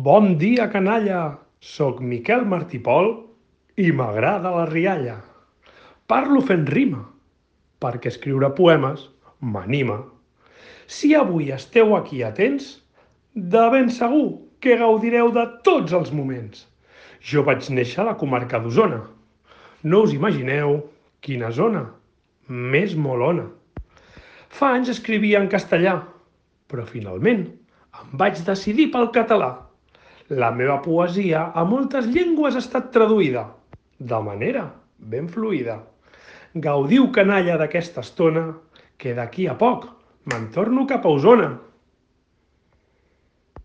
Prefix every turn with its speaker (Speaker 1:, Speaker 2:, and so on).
Speaker 1: Bon dia, canalla! Soc Miquel Martí Pol i m'agrada la rialla. Parlo fent rima, perquè escriure poemes m'anima. Si avui esteu aquí atents, de ben segur que gaudireu de tots els moments. Jo vaig néixer a la comarca d'Osona. No us imagineu quina zona més molona. Fa anys escrivia en castellà, però finalment em vaig decidir pel català. La meva poesia a moltes llengües ha estat traduïda, de manera ben fluida. Gaudiu, canalla, d'aquesta estona, que d'aquí a poc me'n torno cap a Osona.